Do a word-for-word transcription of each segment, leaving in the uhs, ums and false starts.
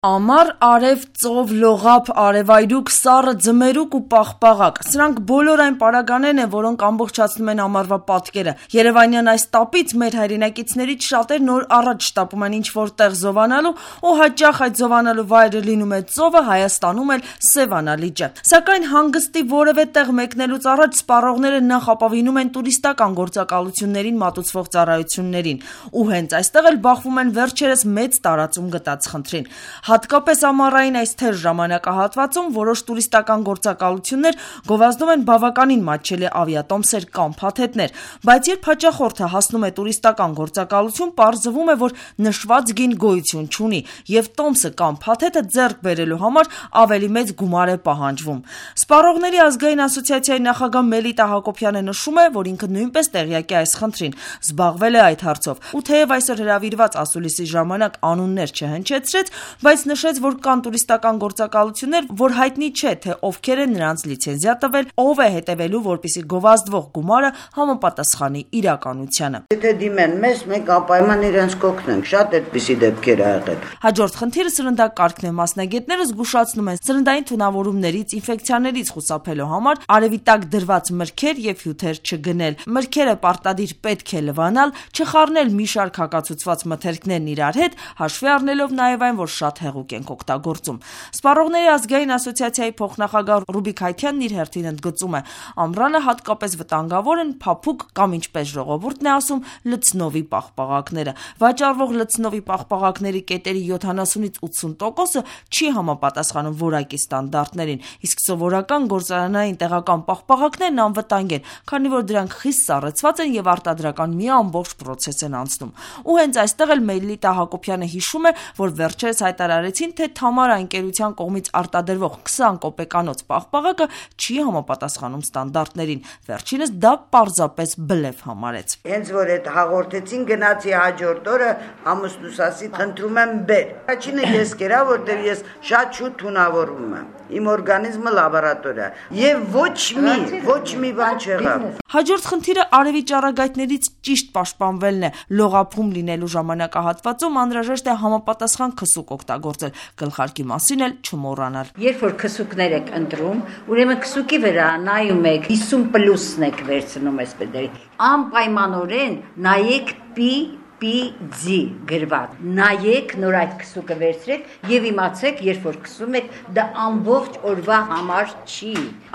Ամառ, արև, ծով, լողափ, արևայրուք, սառը, ձմերուկ ու պաղպաղակ. սրանք բոլոր այն պարագաներն են, որոնք ամբողջացնում են ամառվա պատկերը։ Երևանյան այս տապից մեր հայրենակիցներից շատերն օր առաջ շտապում են ինչ-որ տեղ զովանալու, ու հաճախ այդ զովանալու վայրը լինում է ծովը, Հայաստանում էլ Սևանա լիճը։ Սակայն հանգստի որևէ տեղ մեկնելուց առաջ սպառողները նախ ապավինում են տուրիստական գործակալություններին մատուցվող ծառայություններին, ու հենց այստեղ էլ բախվում են վերջերս մեծ տարածում գտած խնդրին։ Հատկապես ամառային այս թեժ ժամանակահատվածում որոշ տուրիստական գործակալություններ գովազդում են բավականին մատչելի ավիատոմսեր կամ փաթեթներ, բայց երբ հաճախորդը հասնում է տուրիստական գործակալություն, պարզվում է, որ նշված գին գոյություն չունի, եւ տոմսը կամ փաթեթը ձեռք բերելու համար ավելի մեծ գումար է պահանջվում։ Սպառողների ազգային ասոցիացիայի նախագահ Մելիտա Հակոբյանը նշում է, որ ինքը նույնպես տեղյակ է այս խնդրին, զբաղվել է այդ հարցով, ու թեև այսօր հրավիրված ասուլիսի ժամանակ անուններ չհնչեցրեց, բայց նշեց, որ կան տուրիստական գործակալություններ, որ հայտնի չէ, թե ովքեր են նրանց լիցենզիա տվել, ով է հետևելու, որպեսզի գովազդվող գումարը համապատասխանի իրականությանը։ Եթե դիմեն մեզ, մենք անպայման իրենց կօգնենք, շատ այդպիսի դեպքեր ա եղել։ Հաջորդ խնդիրը սրնդակարգն է։ Մասնագետները զգուշացնում են սրնդային թունավորումներից, ինֆեկցիաներից խուսափելու համար արևի տակ դրված մրգեր եւ հյութեր չգնել։ Մրգերը պարտադիր պետք է լվանալ, չխառնել մի շարք հակացուցված մթերքներն իրար հետ, հաշվի առնելով նաեւ այն, որ շատ հեղուկ ենք օգտագործում։ Սպառողների ազգային ասոցիացիայի փոխնախագահ Ռուբիկ Հայթյանն իր հերթին ընդգծում է, ամռանը հատկապես վտանգավոր են փափուկ կամ, ինչպես ժողովուրդն է ասում, լցնովի պաղպաղակները։ Վաճառվող լցնովի պաղպաղակների կետերի յոթանասունից ութսուն տոկոսը չի համապատասխանում որակի ստանդարտներին, իսկ սովորական գործարանային տեղական պաղպաղակներն անվտանգ են, քանի որ դրանք խիստ սառեցված են եւ արտադրական մի ամբողջ պրոցես են անցնում։ Ու հենց այստեղ էլ Մելիտա Հակոբյանը հիշում է, որ վերջերս հայտարարեցին, թե Թամարա ընկերության կողմից արտադրվող քսան կոպեկանոց պաղպաղակը չի համապատասխանում ստանդարտներին։ Վերջինս դա պարզապես բլեֆ համարեց։ Հենց որ այդ հաղորդեցին, գնացի հաջորդ օրը ամուսնուս ասի, խնդրում եմ բեր։ Առաջինը ես կերա, որտեղ ես շատ շուտ թունավորվում եմ։ Իմ օրգանիզմը լաբորատորիա եւ ոչ մի, ոչ մի բան չեղավ։ Հաջորդ խնդիրը արևի ճառագայթներից ճիշտ պաշտպանվելն է։ Լողափում լինելու ժամանակահատվածում անհրաժեշտ է համապատասխան քսուկ օգտագործել, գլխարկի մասին էլ չմոռանալ։ Երբ որ քսուկներ եք ընտրում, ուրեմն քսուկի վրա նայում եք հիսուն պլյուսն եք վերցնում այսպես դերի։ Անպայմանորեն նայեք պի պի ձի գրված։ Նայեք, նոր այդ քսուկը վերցրեք եւ իմացեք, երբ որ քսում եք, դա ամբողջ օրվա համար չի,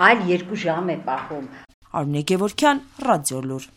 այլ երկու ժամ է պահում։ Արմինե Գևորգյան, Ռադիոլուր։